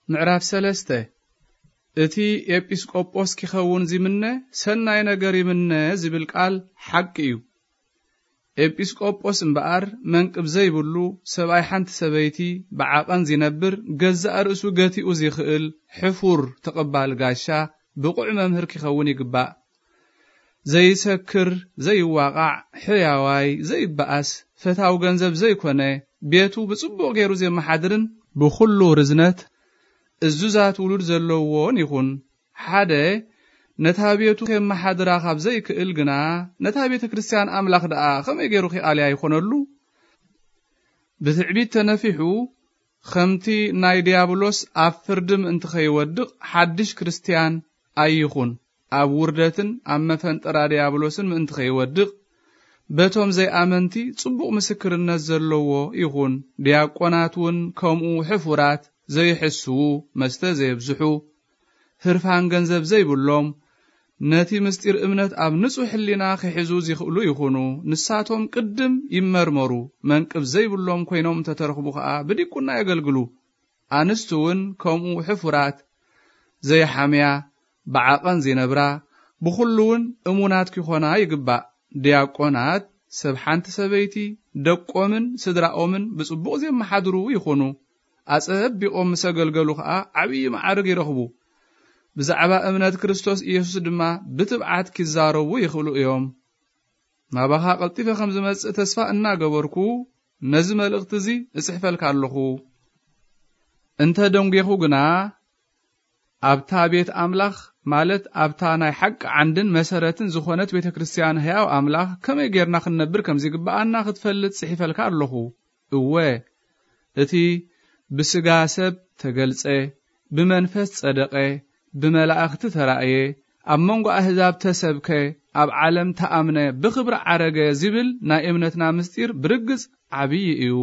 ምዕራፍ ሰለስተ። እቲ ኤጲስቆጶስ ኪኸውን ዚምነ፣ ሰናይ ነገር ይምነ ዚብል ቃል ሓቂ እዩ። ኤጲስቆጶስ እምበኣር መንቅብ ዘይብሉ፣ ሰብኣይ ሓንቲ ሰበይቲ ብዓቐን ዚነብር፣ ገዛእ ርእሱ ገቲኡ ዚኽእል፣ ሕፉር ተቐባል ጋሻ፣ ብቑዕ መምህር ኪኸውን ይግባእ። ዘይሰክር፣ ዘይዋቓዕ፣ ሕያዋይ፣ ዘይበኣስ፣ ፈታው ገንዘብ ዘይኮነ፣ ቤቱ ብጽቡቕ ገይሩ ዜመሓድርን ብኹሉ ርዝነት እዙዛት ውሉድ ዘለዎን ይኹን። ሓደ ነታ ቤቱ ኬመሓድራ ካብ ዘይክእል ግና፣ ነታ ቤተ ክርስቲያን ኣምላኽ ደኣ ኸመይ ገይሩ ኺኣልያ ይኾነሉ? ብትዕቢት ተነፊሑ፣ ኸምቲ ናይ ዲያብሎስ ኣብ ፍርዲ ምእንቲ ኸይወድቕ፣ ሓድሽ ክርስትያን ኣይኹን። ኣብ ውርደትን ኣብ መፈንጠራ ዲያብሎስን ምእንቲ ኸይወድቕ፣ በቶም ዘይኣመንቲ ጽቡቕ ምስክርነት ዘለዎ ይኹን። ዲያቆናት እውን ከምኡ ሕፉራት፣ ዘይሕስዉ፣ መስተ ዘየብዝሑ፣ ህርፋን ገንዘብ ዘይብሎም፣ ነቲ ምስጢር እምነት ኣብ ንጹሕ ሕሊና ኺሕዙ ዚኽእሉ ይኹኑ። ንሳቶም ቅድም ይመርመሩ፣ መንቅብ ዘይብሎም ኮይኖም እንተ ተረኽቡ ኸኣ ብዲቁና የገልግሉ። ኣንስቲ እውን ከምኡ ሕፉራት፣ ዘይሓምያ፣ ብዓቐን ዚነብራ፣ ብኹሉ እውን እሙናት ኪኾና ይግባእ። ዲያቆናት ሰብ ሓንቲ ሰበይቲ፣ ደቆምን ስድራኦምን ብጽቡቕ ዜመሓድሩ ይኹኑ። ኣጸቢቖም ምስ ኣገልገሉ ኸኣ ዓብዪ መዓርግ ይረኽቡ። ብዛዕባ እምነት ክርስቶስ ኢየሱስ ድማ ብትብዓት ኪዛረቡ ይኽእሉ እዮም። ናባኻ ቀልጢፈ ከም ዝመጽእ ተስፋ እናገበርኩ፣ ነዚ መልእኽቲ እዚ እጽሕፈልካ ኣለኹ። እንተ ደንጒኹ ግና፣ ኣብታ ቤት ኣምላኽ፣ ማለት ኣብታ ናይ ሓቂ ዓንድን መሰረትን ዝኾነት ቤተ ክርስቲያን ሕያው ኣምላኽ ከመይ ጌርና ክንነብር ከም ዚግብኣና ክትፈልጥ ጽሒፈልካ ኣለኹ። እወ፣ እቲ ብስጋ ሰብ ተገልጸ፣ ብመንፈስ ጸደቐ፣ ብመላእኽቲ ተራእየ፣ ኣብ መንጎ ኣህዛብ ተሰብከ፣ ኣብ ዓለም ተኣምነ፣ ብኽብሪ ዓረገ ዚብል ናይ እምነትና ምስጢር ብርግጽ ዓብዪ እዩ።